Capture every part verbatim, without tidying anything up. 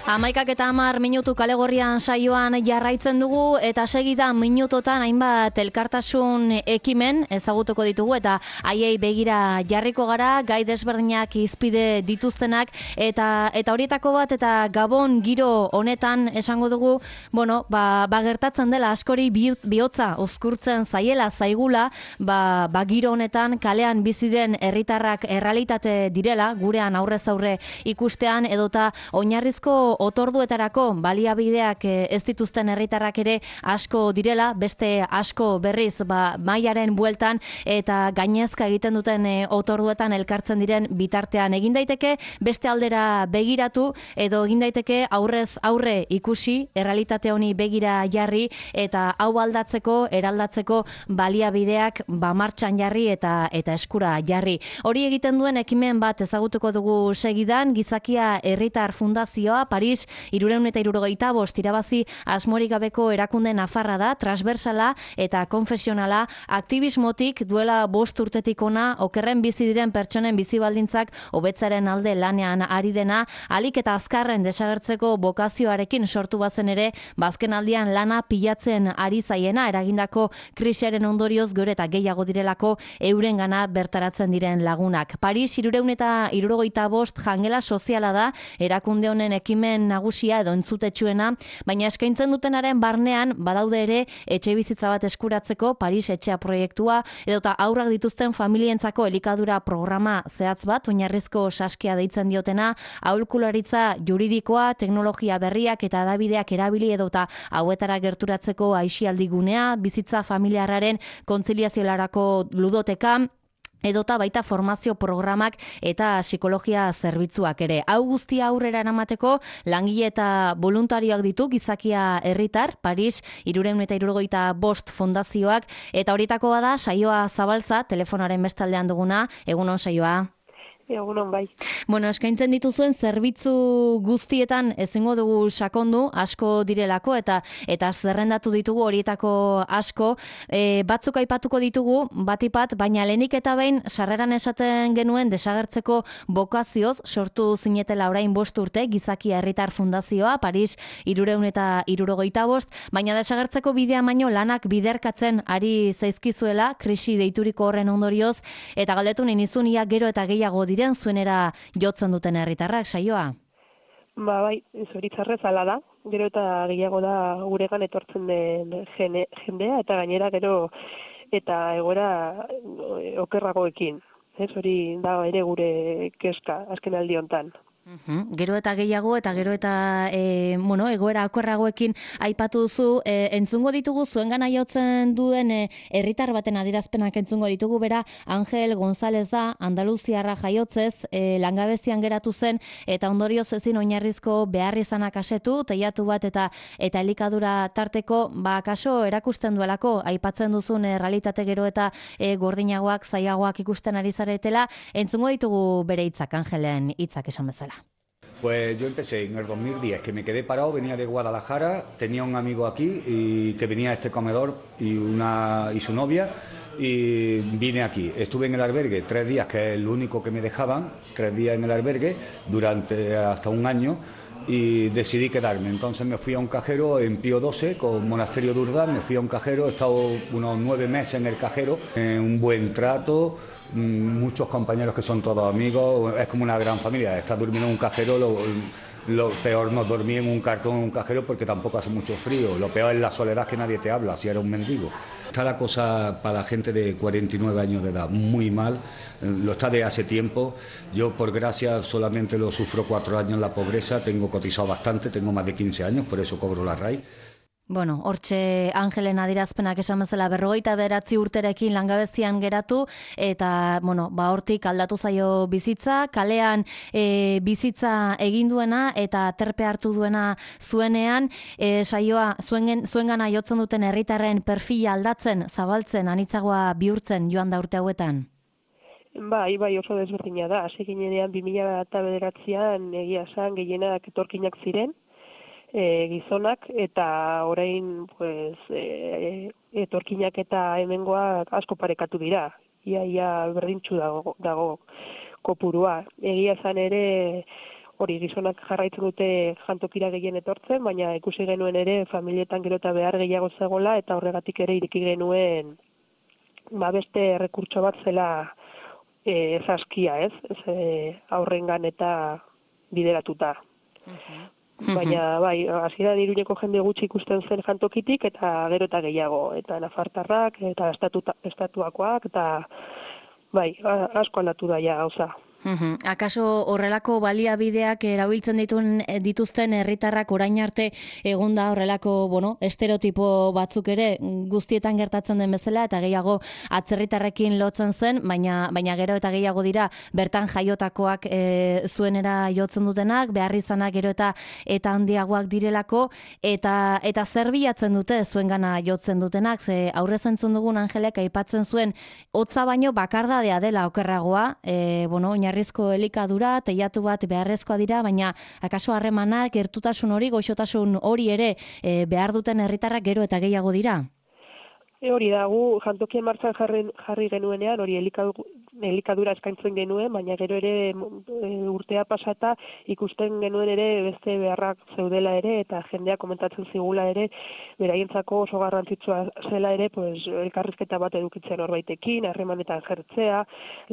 Hamaikak eta hamar minutu kalegorrian saioan jarraitzen dugu eta segida minutotan hainbat elkartasun ekimen ezagutuko ditugu eta haiei begira jarriko gara, gai desberdinak izpide dituztenak eta eta horietako bat eta Gabon giro honetan esango dugu, bueno, ba, ba gertatzen dela askori bihotza uzkurtzen zaiela zaigula, ba, ba giro honetan kalean bizi den herritarrak errealitate direla, gurean aurrez aurre ikustean edota oinarrizko otorduetarako baliabideak ez dituzten herritarrak ere asko direla, beste asko berriz ba, mailaren bueltan eta gainezka egiten duten e, otorduetan elkartzen diren bitartean egin daiteke, beste aldera begiratu edo egin daiteke aurrez aurre ikusi, errealitate honi begira jarri eta hau aldatzeko, eraldatzeko baliabideak ba martxan jarri eta eta eskura jarri. Hori egiten duen ekimen bat ezagutuko dugu segidan, Gizakia Herritar Fundazioa, Paris hirurehun eta hirurogeita bost irabazi asmorik gabeko erakunde nafarra da, transversala eta konfesionala, aktivismotik duela bost urtetik ona, okerren bizi diren pertsonen bizi baldintzak hobetzaren alde lanean ari dena, alik eta azkarren desagertzeko bokazioarekin sortu bazen ere, bazken aldian lana pilatzen ari zaiena, eragindako krisiaren ondorioz gero eta gehiago direlako eurengana bertaratzen diren lagunak. Paris hirurehun eta hirurogeita bost jangela soziala da, erakunde honen ekimen nagusia edo entzutetsuena, baina eskaintzen dutenaren barnean badaude ere etxe bizitza bat eskuratzeko Paris etxea proiektua edota aurrak dituzten familientzako elikadura programa zehatz bat, oinarrizko saskia deitzen diotena, aholkularitza juridikoa, teknologia berriak eta hedabideak erabili edota hauetara gerturatzeko aisialdi gunea, bizitza familiarraren kontziliaziolarako ludoteka, edota baita formazio programak eta psikologia zerbitzuak ere. Hau guztia aurrera eramateko langile eta voluntarioak ditu Gizakia Herritar, Paris hirurehun eta hirurogeita bost fundazioak eta horietako bada Saioa Zabalza, telefonaren bestaldean duguna. Egunon Saioa. Egunon bai. Bueno, eskaintzen dituzuen zerbitzu guztietan ezingo dugu sakondu, asko direlako eta eta zerrendatu ditugu horietako asko, e, batzuk aipatuko ditugu batipat, baina lehenik eta behin sarreran esaten genuen desagertzeko bokazioz sortu zinetela orain bost urte Gizakia Herritar Fundazioa, Paris hirurehun eta hirurogeita bost, baina desagertzeko bidea baino lanak biderkatzen ari zaizkizuela krisi deituriko horren ondorioz eta galdetu nizun ia gero eta gehiago dira zuenera jotzen duten herritarrak, Saioa? Ba, bai, zoritxarrez ala da. Gero eta gehiago da guregan etortzen den jene, jendea eta gainera gero eta egoera okerragoekin. Ez hori da ere gure kezka azken aldi hontan. Uhum. Gero eta gehiago eta gero eta e, bueno, egoera okerragoekin aipatu duzu, e, entzungo ditugu zuengana jotzen duen herritar e, baten adierazpenak entzungo ditugu, bera Angel González da, Andaluziarra jaiotzez, e, langabezian geratu zen eta ondorioz ezin oinarrizko behar izanak asetu, teiatu bat eta eta elikadura tarteko, ba kaso erakusten duelako, aipatzen duzun e, realitate gero eta e, gordinagoak, zaiagoak ikusten ari zaretela, entzungo ditugu bere hitzak, Angelen hitzak esan bezala. Pues yo empecé en el dos mil diez, que me quedé parado, venía de Guadalajara, tenía un amigo aquí y que venía a este comedor y, una, y su novia y vine aquí. Estuve en el albergue tres días, que es el único que me dejaban, tres días en el albergue durante hasta un año y decidí quedarme. Entonces me fui a un cajero en Pío doce con Monasterio de Urdaz, me fui a un cajero, he estado unos nueve meses en el cajero, en un buen trato, muchos compañeros que son todos amigos, es como una gran familia. Estar durmiendo en un cajero, lo, lo peor no dormí en un cartón en un cajero porque tampoco hace mucho frío, lo peor es la soledad, que nadie te habla, si eres un mendigo. Está la cosa para la gente de cuarenta y nueve años de edad muy mal, lo está de hace tiempo. Yo por gracia solamente lo sufro cuatro años en la pobreza, tengo cotizado bastante, tengo más de quince años, por eso cobro la R A I. Bueno, hortxe Angelen adierazpenak esan bezala berrogeita bederatzi urterekin langabezian geratu eta, bueno, ba hortik aldatu zaio bizitza, kalean e, bizitza egin duena eta terpe hartu duena zuenean, e, Saioa zuen, zuengana jotzen duten herritarren perfila aldatzen, zabaltzen, anitzagoa bihurtzen joan da urte hauetan? Bai, bai, oso desberdina da. Hasi ginenean bi mila bederatzian egia esan gehienak etorkinak ziren, E, gizonak eta orain pues, e, etorkinak eta hemengoak asko parekatu dira. Ia, ia berdintxu dago, dago kopurua. Egia esan ere hori gizonak jarraitzen dute jantokira gehien etortzen, baina ikusi genuen ere familietan gero eta behar gehiago zegoela, eta horregatik ere ireki genuen ba beste errekurtso bat zela e, zaskia, ez? Ez e, aurrengan eta bideratuta. Uh-huh. Baina, bai, hasieran Iruñeko jende gutxi ikusten zen jantokitik, eta gero eta gehiago, eta nafartarrak, eta estatuta, estatuakoak, eta bai, asko aldatu da ja gauza. Uhum. Akaso horrelako baliabideak erabiltzen dituen dituzten herritarrak orain arte egonda horrelako, bueno, estereotipo batzuk ere guztietan gertatzen den bezala eta gehiago atzerritarrekin lotzen zen, baina baina gero eta gehiago dira bertan jaiotakoak e, zuenera jotzen dutenak, beharrizanak gero eta eta handiagoak direlako eta eta zer bilatzen dute zuengana jotzen dutenak, ze aurrez entzun dugun Angelek aipatzen zuen hotza baino bakardadea dela okerragoa, e, bueno, oinarrizko elikadura, teilatu bat beharrezkoa dira, baina akaso harremanak, gertutasun hori, goxotasun hori ere e, behar duten herritarrak gero eta gehiago dira? E hori da, gu jantokien martxan jarri, jarri genuenean, hori elikadura, elikadura eskaintzen genuen, baina gero ere e, urtea pasata ikusten genuen ere beste beharrak zeudela ere, eta jendea komentatzen zigula ere, beraientzako oso garrantzitsua zela ere, pues, elkarrizketa bat edukitzea norbaitekin, harremanetan jertzea,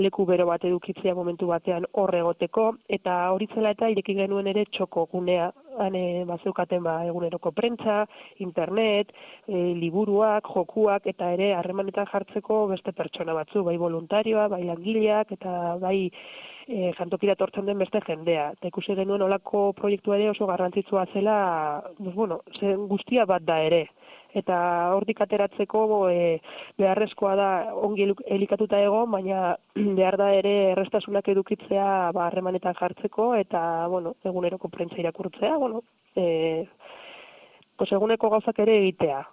leku bero bat edukitzea momentu batean hor egoteko, eta hori zela eta ireki genuen ere txoko gunea, hane bazeukaten ba, eguneroko prentza, internet, e, liburuak, jokuak, eta ere harremanetan jartzeko beste pertsona batzu, bai voluntarioa, bai langileak, eta bai e, jantokira etortzen den beste jendea. Eta ikusi genuen olako proiektua ere oso garrantzitsua zela, pues, bueno, zen guztia bat da ere. Eta hortik ateratzeko e, beharrezkoa da ongi elikatuta egon, baina behar da ere errestasunak edukitzea ba, harremanetan jartzeko, eta bueno, eguneroko prentza irakurtzea, bueno, e, pues, eguneko gauzak ere egitea.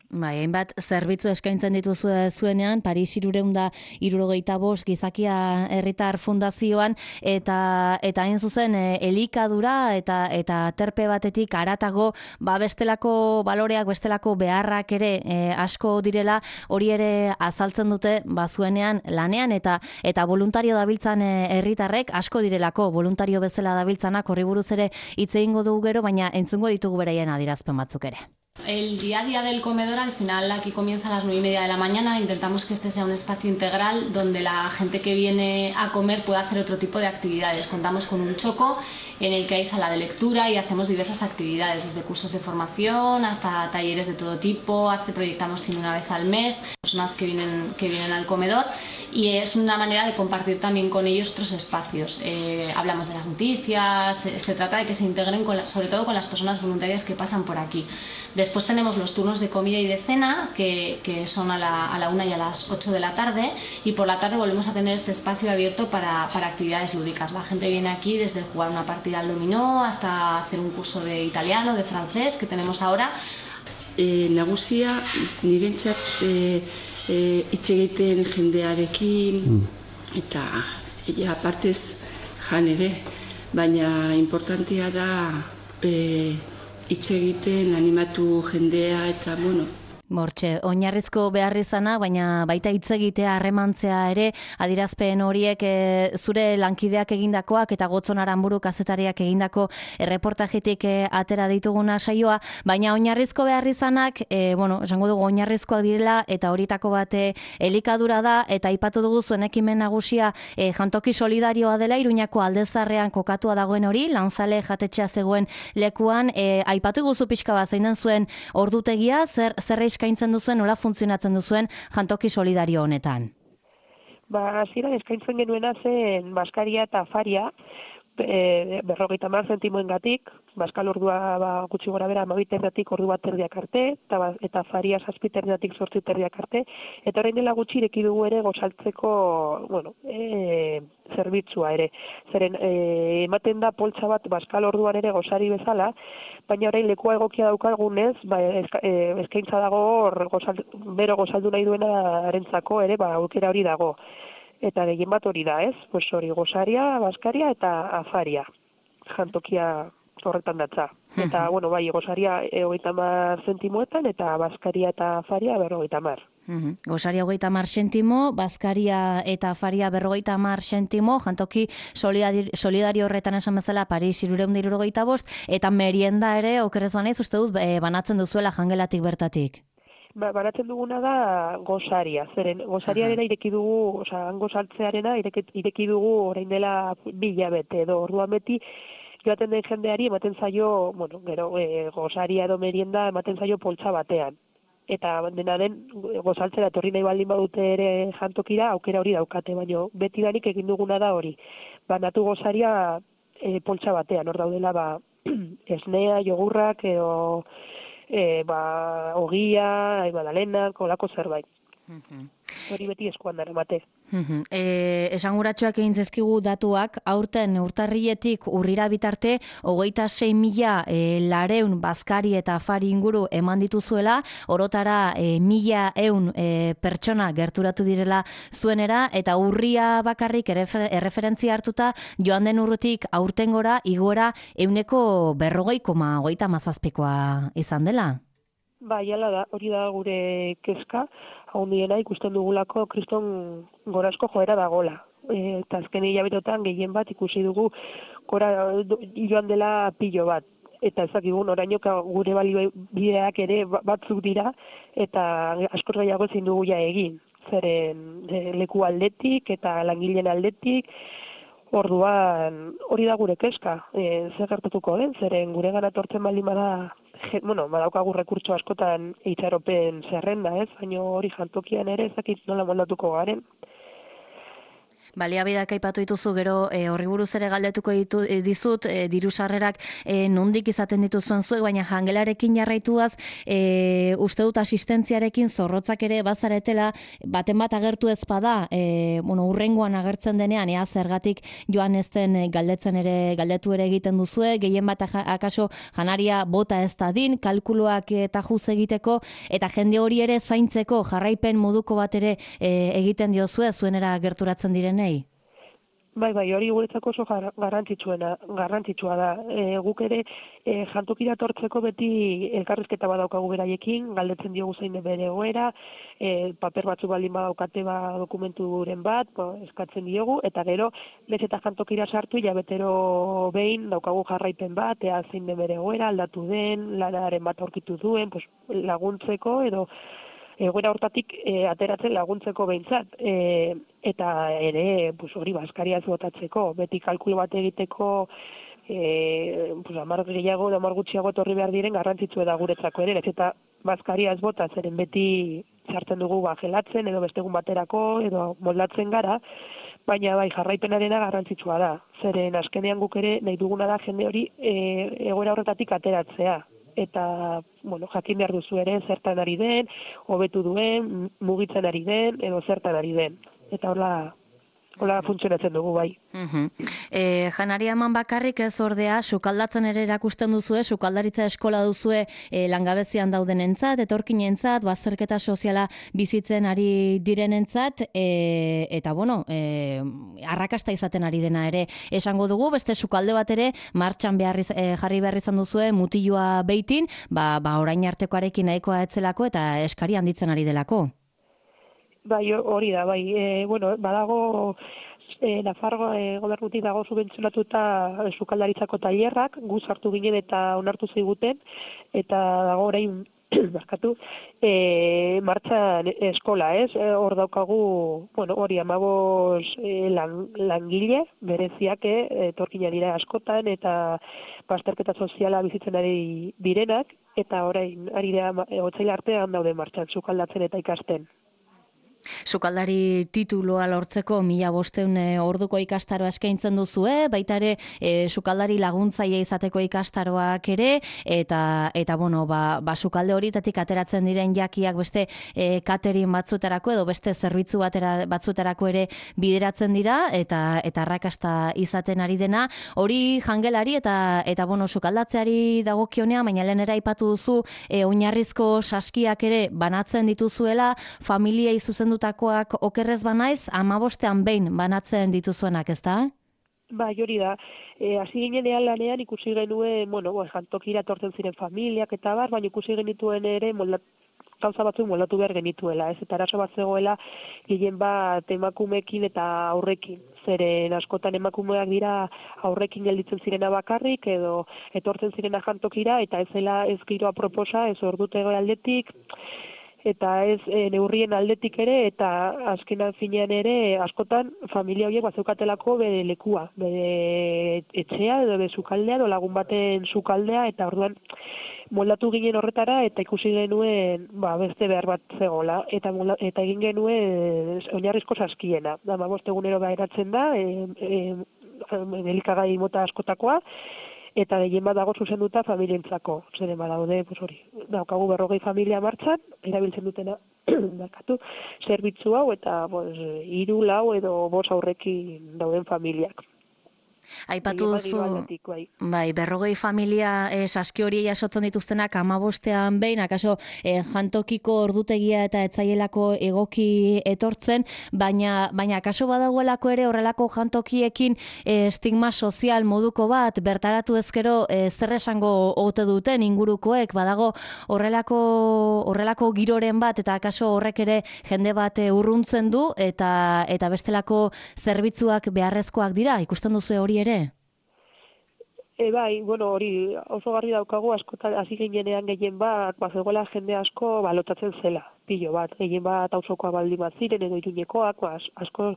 Bai, hainbat zerbitzu eskaintzen dituzu zuenean, Paris hirurehun eta hirurogeita bost gizakia herritar fundazioan, eta eta hain zuzen e, elikadura eta eta terpe batetik haratago, ba bestelako baloreak, bestelako beharrak ere e, asko direla, hori ere azaltzen dute ba zuenean lanean eta eta voluntario dabiltzan herritarrek asko direlako, voluntario bezala dabiltzanak, horri buruz ere hitz egingo dugu gero, baina entzungo ditugu beraien adierazpen batzuk ere. El día a día del comedor, al final, aquí comienza a las nueve y media de la mañana. Intentamos que este sea un espacio integral donde la gente que viene a comer pueda hacer otro tipo de actividades. Contamos con un choco en el que hay sala de lectura y hacemos diversas actividades, desde cursos de formación hasta talleres de todo tipo. Hace, proyectamos cine una vez al mes, personas que vienen, que vienen al comedor, y es una manera de compartir también con ellos otros espacios. Eh, hablamos de las noticias, se, se trata de que se integren con la, sobre todo con las personas voluntarias que pasan por aquí. Después tenemos los turnos de comida y de cena, que, que son a la, a la una y a las ocho de la tarde, y por la tarde volvemos a tener este espacio abierto para, para actividades lúdicas. La gente viene aquí desde jugar una partida al dominó hasta hacer un curso de italiano, de francés, que tenemos ahora. E, nagusia, nirentzat e, e, hitz egiten jendearekin, mm. eta ja, partez jan ere, baina importantea da e, hitz egiten animatu jendea eta, bueno, Mortxe, oinarrizko beharrizana, baina baita hitz egitea, harremantzea ere, adirazpen horiek e, zure lankideak egindakoak eta Gotzon Aranburu kazetariak egindako erreportajetik e, atera dituguna saioa, baina oinarrizko beharrizanak, e, bueno, esango dugu oinarrizkoak direla eta horietako bate elikadura da, eta aipatu dugu zuen ekimen nagusia e, jantoki solidarioa dela, Iruñako Aldezarrean kokatua dagoen hori, Lanzale jatetxea zegoen lekuan, e, aipatu guzu pixka bat zein den zuen ordutegia, zer, zer eskaintzen duzuen, nola funtzionatzen duzuen jantoki solidario honetan? Ba, hasieran eskaintzen genuena zen baskaria eta afaria, e, berrogeita hamar zentimoengatik, baskal ordua ba, gutxi gora bera amabiterdiatik ordu bat terdiak arte, eta, eta afaria zazpiterdiatik zortzi terdiak arte, eta orain dela gutxi ireki dugu ere gozaltzeko, bueno, e, zerbitzua ere. Zeren, e, ematen da poltsa bat baskal orduan ere gozari bezala, baina orain lekua egokia daukagunez, ba, eska, e, eskaintza dago hor gozal, bero gozaldu nahi duena arentzako ere, ba, aukera hori dago. Eta gehien bat hori da, ez? Pues hori gozaria, baskaria eta afaria. Jantokia horretan datza. Eta, bueno, bai, gozaria hogeita hamar zentimoetan eta baskaria eta afaria berrogeita hamar. Uhum. Gosaria hogeita hamar sentimo, bazkaria eta afaria berrogeita hamar sentimo, jantoki solidari, solidario horretan esan bezala Paris hirurehun eta hirurogeita bost, eta merienda ere, okerrez banaiz, uste dut, e, banatzen duzuela jangelatik bertatik. Ba, banatzen duguna da gosaria, zeren gosariarena ireki dugu, osea, hango saltzearena ireki, ireki dugu orain dela bi hilabete edo, orduan beti joaten den jendeari ematen zaio, bueno, gero e, gosaria edo merienda ematen zaio poltsa batean. Eta dena den gozaltzera etorri nahi baldin badute ere jantokira, aukera hori daukate, baina beti danik egin duguna da hori. Banatu gozaria e, poltsa batean, hor daudela ba, esnea, jogurrak edo e, ba, ogia, magdalena, kolako zerbait. Mhm. Hori beti eskuan dara mate. Mhm. E, esanguratsuak egin zezkigu datuak, aurten urtarrietik urrira bitarte, hogeita sei mila e, lareun bazkari eta afari inguru eman dituzuela, orotara e, mila eun e, pertsona gerturatu direla zuenera, eta urria bakarrik errefer, erreferentzia hartuta, joan den urrutik aurten gora, igora, euneko berrogei koma hogeita mazazpikoa izan dela. Ba, jala da, hori da gure kezka, handiena ikusten dugulako kriston gorazko joera dagola. E, eta azken hilabetetan gehien bat ikusi dugu gora joan dela pilo bat. Eta ezakigu oraino gure baliabideak ere batzuk dira, eta askoz gehiago ezin dugu ja egin. Zeren e, leku aldetik eta langileen aldetik, orduan hori da gure kezka. E, zer gertatuko den, zeren gure gana tortzen baldin bada, bueno, badaukagu rekurtso askotan itxaropen zerrenda, ez? Baina hori jantokian ere ezakit nola moldatuko garen. Baliabideak aipatu dituzu, gero e, horri buruz ere galdetuko ditu, e, dizut, e, diru sarrerak e, nondik izaten dituzuen zuek, baina jangelarekin jarraituaz, e, uste dut asistentziarekin zorrotzak ere bazaretela, baten bat agertu ez bada, e, bueno, urrengoan agertzen denean, ea zergatik joan ez den galdetzen ere, galdetu ere egiten duzue, gehien bat akaso janaria bota ez da din, kalkuloak eta juz egiteko, eta jende hori ere zaintzeko jarraipen moduko bat ere e, egiten diozue, zuenera gerturatzen direnei. Bai, bai, hori guretzako oso garrantzitsuena, garrantzitsua da. E, guk ere e, jantokira tortzeko beti elkarrizketa badaukagu beraiekin, galdetzen diogu zein den bere egoera, e, paper batzu baldin badaukate ba dokumenturen bat, ba, eskatzen diogu, eta gero lez eta jantokira sartu hilabetero behin daukagu jarraipen bat, ea zein den bere egoera, aldatu den, lanaren bat aurkitu duen, pues, laguntzeko edo egoera hortatik e, ateratzen laguntzeko behintzat. E, eta ere, pues, hori bazkaria ez botatzeko, beti kalkulo bat egiteko e, pues, amar gehiago, amar gutxiago etorri behar diren garrantzitsu da guretzako ere, ez eta bazkaria ez bota, zeren beti sartzen dugu ba, gelatzen edo bestegun baterako edo moldatzen gara, baina bai jarraipenarena garrantzitsua da, zeren azkenean guk ere nahi duguna da jende hori e, egoera horretatik ateratzea. Eta, bueno, jakin behar duzu ere zertan ari den, hobetu duen, mugitzen ari den, edo zertan ari den. Eta hola, hola funtzionatzen dugu bai. Uh-huh. E, janaria eman bakarrik ez ordea, sukaldatzen ere erakusten duzue, sukaldaritza eskola duzue e, langabezian daudenentzat, etorkinentzat, bazterketa soziala bizitzen ari direnentzat, e, eta bueno, e, arrakasta izaten ari dena ere esango dugu, beste sukalde bat ere martxan behar, e, jarri behar izan duzue mutilua beitin, ba, ba orain artekoarekin nahikoa etzelako eta eskari handitzen ari delako. Bai, hori da, bai. E, bueno, badago e, Nafargo e, gobernutik dago subentzionatuta sukaldaritzako tailerrak, gu sartu ginen eta onartu ziguten, eta dago orain barkatu, e, martxan eskola, ez? Hor e, daukagu, bueno, hori amabos e, lan, langile, bereziak, etorkina dira askotan, eta bazterketa soziala bizitzen ari direnak, eta orain ari da otsaila artean daude martxan sukaldatzen eta ikasten. Sukaldari tituloa lortzeko mila bosteun orduko ikastaroa eskaintzen duzue, baita ere e, sukaldari laguntzaile izateko ikastaroak ere, eta eta bueno, ba, ba sukalde horitatik ateratzen diren jakiak beste e, catering batzutarako edo beste zerbitzu batera, batzutarako ere bideratzen dira, eta eta arrakasta izaten ari dena, hori jangelari eta eta bueno, sukaldatzeari dagokionea, baina lehenera aipatu duzu e, oinarrizko saskiak ere banatzen dituzuela, familiei zuzendu takoak okerrez banaiz, amabostean behin banatzen dituzuenak, ez da? Ba, hori da. E, hasi ginenean lanean ikusi genuen, bueno, bo, jantokira tortzen ziren familiak eta bar, baina ikusi genituen ere moldat, gauza batzuk moldatu behar genituela, ez? Eta arazo bat zegoela gehien bat emakumeekin eta aurrekin. Zeren askotan emakumeak dira aurrekin gelditzen zirena bakarrik edo etortzen zirena jantokira eta ez zela ez giroa proposa, ez ordutego aldetik, eta ez e, neurrien aldetik ere, eta azkenan finean ere askotan familia horiek bazeukatelako bere lekua, bere etxea edo bere sukaldea edo lagun baten sukaldea, eta orduan moldatu ginen horretara eta ikusi genuen ba, beste behar bat zegoela, eta, molda, eta egin genuen oinarrizko saskiena. Hamabost egunero behiratzen da, e, e, elikagai mota askotakoa, eta gehien bat dago zuzenduta familientzako. Zeren badaude, pues hori, daukagu berrogei familia martxan, erabiltzen dutena, dakatu, zerbitzu hau, eta pues, hiru, lau edo bost aurrekin dauden familiak. Aipatu duzu, bai, berrogei familia eh, saski hori jasotzen dituztenak hamabostean behin, akaso eh, jantokiko ordutegia eta etzaielako egoki etortzen, baina baina akaso badagoelako ere horrelako jantokiekin eh, estigma sozial moduko bat, bertaratu ezkero eh, zer esango ote duten ingurukoek, badago horrelako horrelako giroren bat, eta akaso horrek ere jende bat eh, urruntzen du, eta eta bestelako zerbitzuak beharrezkoak dira, ikusten duzu hori ere? E, bai, bueno, hori oso garri daukagu askotan hasi ginenean gehien bat, bazegoela jende asko balotatzen zela, pilo bat, gehien bat auzokoa baldin bat ziren edo iruñekoak, ba, asko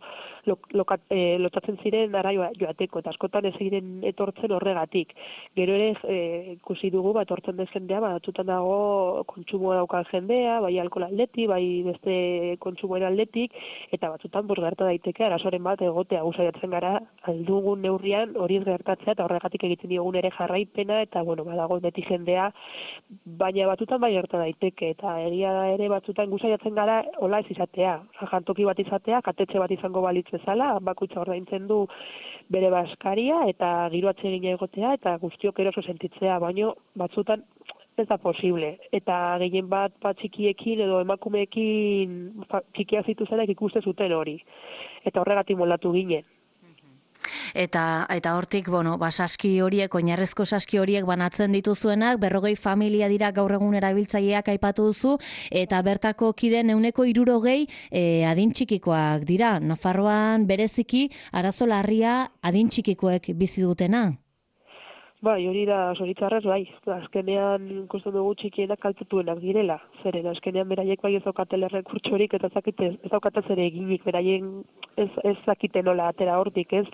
lo, lokat, e, lotatzen ziren ara joateko, eta askotan ez ziren etortzen horregatik. Gero ere e, ikusi dugu, ba, etortzen den jendea, batzutan dago kontsumoa daukan jendea, bai alkohol aldetik, bai beste kontsumoen aldetik, eta batzutan bos gerta daiteke, arazoren bat egotea guzaiatzen gara, aldugun neurrian hori ez gertatzea, eta horregatik egiten diogun ere jarraipena, eta bueno, badago beti jendea, baina batzutan bai gerta daiteke, eta egia da ere batzutan guzaiatzen gara hola ez izatea, jantoki bat izatea, katetxe bat izango balitz bezala, bakoitza ordaintzen du bere baskaria, eta giro atsegina egotea, eta guztiok eroso sentitzea, baino batzutan ez da posible, eta gehien bat bat txikiekin edo emakumeekin txikia zituzenak ikuste zuten hori, eta horregatik moldatu ginen. Eta eta hortik, bueno, ba, saski horiek, oinarrezko saski horiek banatzen dituzuenak, berrogei familia dira gaur egun erabiltzaileak aipatu duzu, eta bertako kideen ehuneko hirurogei e, adin txikikoak dira. Nafarroan bereziki arazo larria adin txikikoek bizi dutena. Bai, hori da zoritxarrez, bai. Azkenean ikusten dugu txikienak kaltetuenak direla. Zeren, azkenean beraiek bai ez daukatele rekurtsorik eta ez daukaten ere eginik, beraien ez, ez zakite nola atera hortik, ez?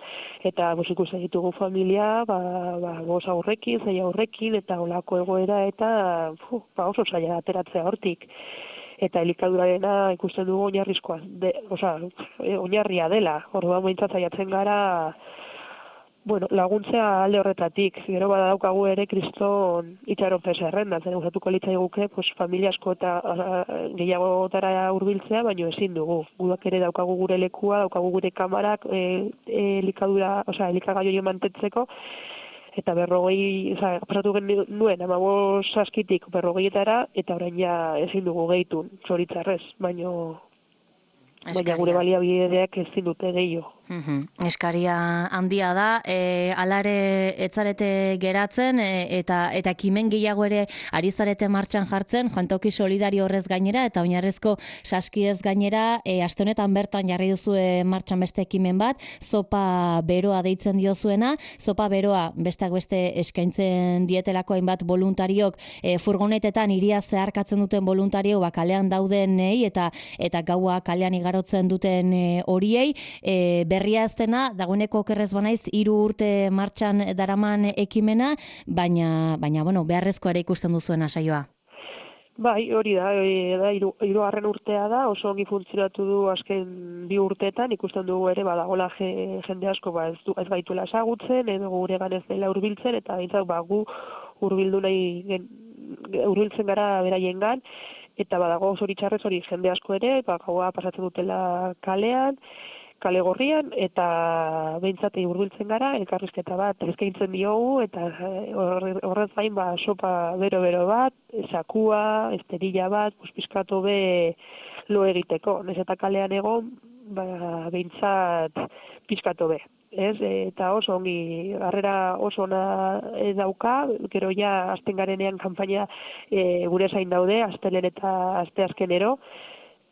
Eta bos ikusten ditugu familia, ba, ba, bos aurrekin, zei aurrekin, eta olako egoera, eta fu, ba, oso zaila ateratzea hortik. Eta elikadurarena ikusten dugu oinarrizkoa, de, oza, oinarria dela. Orduan behintzat saiatzen gara, bueno, laguntzea alde horretatik, gero bada daukagu ere kriston itxaropen zerrenda, zen usatuko litzaiguke, pues, familia asko eta gehiagotara hurbiltzea, baino ezin dugu. Gudak ere daukagu gure lekua, daukagu gure kamarak, e, e, elikadura, osea, elikagai hori mantentzeko, eta berrogei, oza, pasatu nuen, hamabost saskitik berrogeietara, eta orain ja ezin dugu gehitu, zoritzarrez, baino, baina gure baliabideak ezin dute gehiago. Uhum. Eskaria handia da, e, alare etzarete geratzen, e, eta eta kimen gehiago ere ari zarete martxan jartzen, jantoki solidario horrez gainera, eta oinarrezko saskiez gainera, e, aste honetan bertan jarri duzu martxan beste ekimen bat, zopa beroa deitzen diozuena, zopa beroa besteak beste eskaintzen dietelako hainbat voluntariok, e, furgonetetan hiria zeharkatzen duten voluntario, ba, kalean daudenei, eta eta gaua kalean igarotzen duten horiei, e, berria ez dena, dagoeneko okerrez banaiz, hiru urte martxan daraman ekimena, baina, baina bueno, beharrezko ere ikusten duzuen saioa. Bai, hori da, hori da, hirugarren urtea da, oso ongi funtzionatu du azken bi urteetan, ikusten dugu ere, badagola jende asko, ba, ez, du, ez gaituela ezagutzen, edo gure ganez dela hurbiltzen, eta bintzak, ba, gu hurbildu nahi, hurbiltzen gara beraiengan, eta badago zoritxarrez hori jende asko ere, ba, gaua pasatzen dutela kalean, kale gorrian, eta behintzatei hurbiltzen gara, elkarrizketa bat eskaintzen diogu, eta horrez gain ba, sopa bero-bero bat, sakua, esterilla bat, pizkatu be lo egiteko. Nez eta kalean egon, ba, behintzat pizkatu be. ez, eta oso ongi, harrera oso ona dauka, gero ja azten garenean kanpaina e, gure zain daude, astelen eta asteazkenero,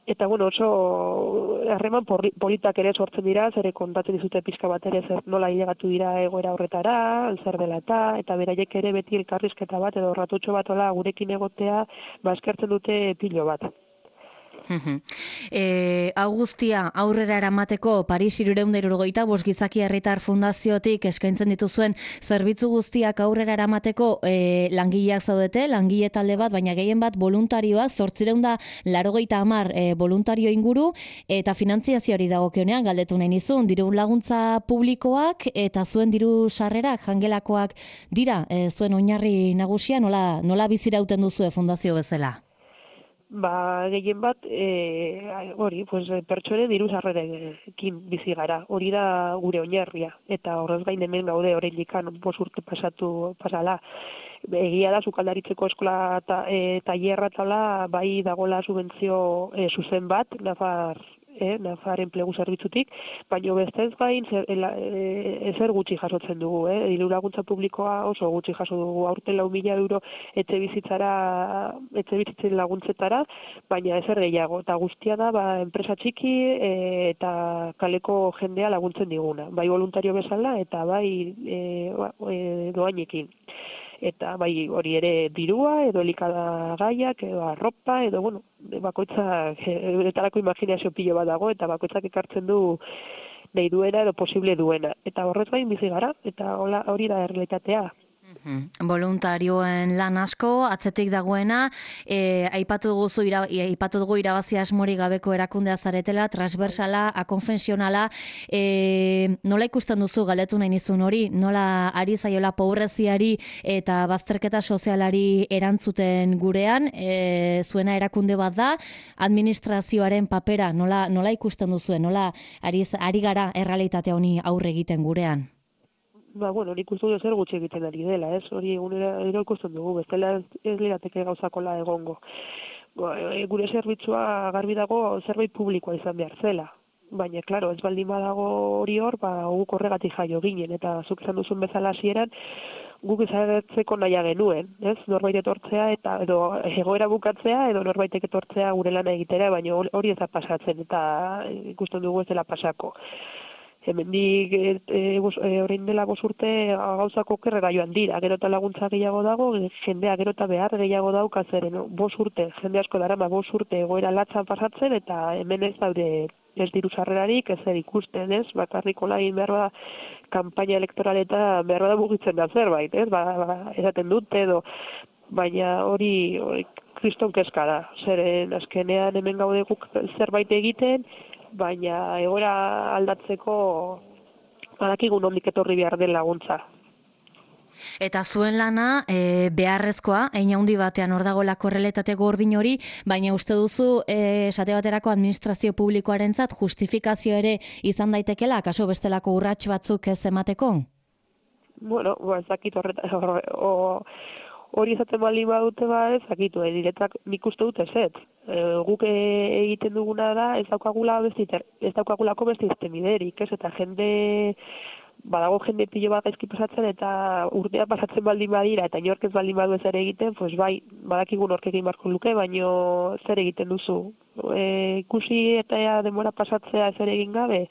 eta bueno, oso harreman politak ere sortzen dira, zere kontatzen dizute pixka bat ere zer nola hilegatu dira egoera horretara, zer dela eta, eta beraiek ere beti elkarrizketa bat edo ratutxo bat ola gurekin egotea, ba eskertzen dute pilo bat. E, Augustia, aurrera eramateko Paris hirurehun eta hirurogeita bost Gizaki Herritar Fundaziotik eskaintzen dituzuen zerbitzu guztiak aurrera eramateko e, langileak zaudete, langile talde bat, baina gehien bat voluntarioak, zortziehun eta laurogeita hamar e, voluntario inguru, eta finantziazioari dagokionean galdetu nahi nizun, diru laguntza publikoak eta zuen diru sarrerak jangelakoak dira, e, zuen oinarri nagusia, nola, nola bizirauten duzu fundazio bezala? Ba, gehien bat, e, hori, pues, pertsonen diru sarrerekin bizi gara. Hori da gure oinarria. Eta horrez gain hemen gaude oraindikan bost urte pasatu pasala. Egia da, sukaldaritzeko eskola ta, e, tailerra tala, bai dagola subentzio e, zuzen bat, Nafar, e, Nafar enplegu zerbitzutik, baina bestez gain zer, e, ezer gutxi jasotzen dugu. Eh? Diru laguntza publikoa oso gutxi jaso dugu, aurten lau mila euro etxe bizitzara, etxe bizitzen laguntzetara, baina ezer gehiago. Eta guztia da, ba, enpresa txiki e, eta kaleko jendea laguntzen diguna. Bai voluntario bezala eta bai e, ba, e, doainekin. Eta bai hori ere dirua, edo elikagaiak, edo arropa, edo, bueno, bakoitzak, eretarako imaginazio pilo bat dago, eta bakoitzak ekartzen du nahi duena edo posible duena. Eta horrez gain bizi gara, eta hola, hori da errealitatea. Voluntarioen lan asko, atzetik dagoena, e, aipatu dugu ira, aipatu dugu irabazi asmori gabeko erakundea zaretela, transversala, akonfesionala, e, nola ikusten duzu galdetu nahi nizun hori, nola ari zaiola pobreziari eta bazterketa sozialari erantzuten gurean, e, zuena erakunde bat da, administrazioaren papera, nola, nola ikusten duzuen, nola ari, ari gara errealitatea honi aurre egiten gurean? Ba, bueno, nik uste dut zer gutxi egiten ari dela, ez? Hori egunera ero ikusten dugu, bestela ez, ez lirateke gauzakola egongo. Gure zerbitzua garbi dago zerbait publikoa izan behar zela. Baina, klaro, ez baldin badago hori hor, ba, guk horregatik jaio ginen, eta zuk izan duzun bezala hasieran, guk izagertzeko naia genuen, ez? Norbait etortzea, eta edo egoera bukatzea, edo norbaitek etortzea gure lana egitera, baina hori ez da pasatzen, eta ikusten dugu ez dela pasako. Hemendik e, e, e, orain dela bost urte gauzako okerrera joan dira, gero eta laguntza gehiago dago, jendea gero eta behar gehiago dauka zeren, bost urte, jende asko darama bost urte egoera latzan pasatzen, eta hemen ez daude ez diru sarrerarik, ez zer ikusten, ez, bakarriko lain behar da, kanpaina elektoraleta behar da mugitzen da zerbait, ez, ba, ba, eraten dute edo, baina hori, hori kriston kezka da, zeren azkenean hemen gaude guk zerbait egiten, baina egoera aldatzeko badakigu nondik etorri behar den laguntza. Eta zuen lana e, beharrezkoa, hein handi batean hor dagoela korrelatate gordin hori, baina uste duzu e, esate baterako administrazio publikoarentzat justifikazio ere izan daitekela, akaso bestelako urrats batzuk ez emateko? Bueno, ba, ez dakit horreta, o, hori izaten baldin badute ba ez dakitu, e, diretak nik uste dut ezetz. E, guk egiten duguna da ez daukagula beste ez daukagulako beste irtenbiderik, ez? Eta jende badago jende pilo bat gaizki pasatzen eta urtea pasatzen baldin badira eta inork ez baldin badu ez ere egiten, pues bai, badakigu nork egin beharko luke, baino zer egiten duzu. E, ikusi eta denbora pasatzea ez ere egin gabe,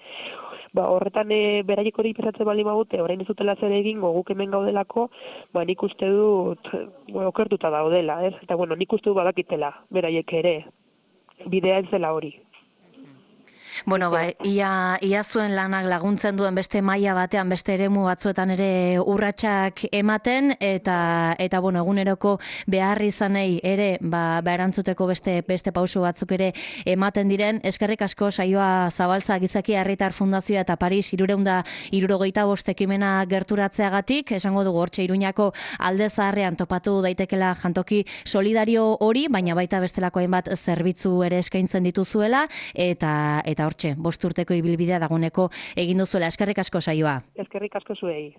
ba, horretan e, beraiek hori pasatzen baldin badute, orain ez dutela zer egingo guk hemen gaudelako, ba, nik uste dut bueno, okertuta daudela, ez? Eta bueno, nik uste dut badakitela beraiek ere, bidea ez dela hori. Bueno, ba, ia, ia zuen lanak laguntzen duen beste maila batean, beste eremu batzuetan ere urratsak ematen, eta, eta bueno, eguneroko behar izanei ere, ba, ba erantzuteko beste, beste pauso batzuk ere ematen diren. Eskerrik asko saioa Zabaltza Gizaki Herritar Fundazioa eta Paris hirurehun eta hirurogeita bost ekimena gerturatzeagatik, esango dugu hortxe Iruñako alde zaharrean topatu daitekela jantoki solidario hori, baina baita bestelako hainbat zerbitzu ere eskaintzen dituzuela, eta eta hortxe, bost urteko ibilbidea dagoeneko egin duzuela. Eskerrik asko saioa. Eskerrik asko zuei.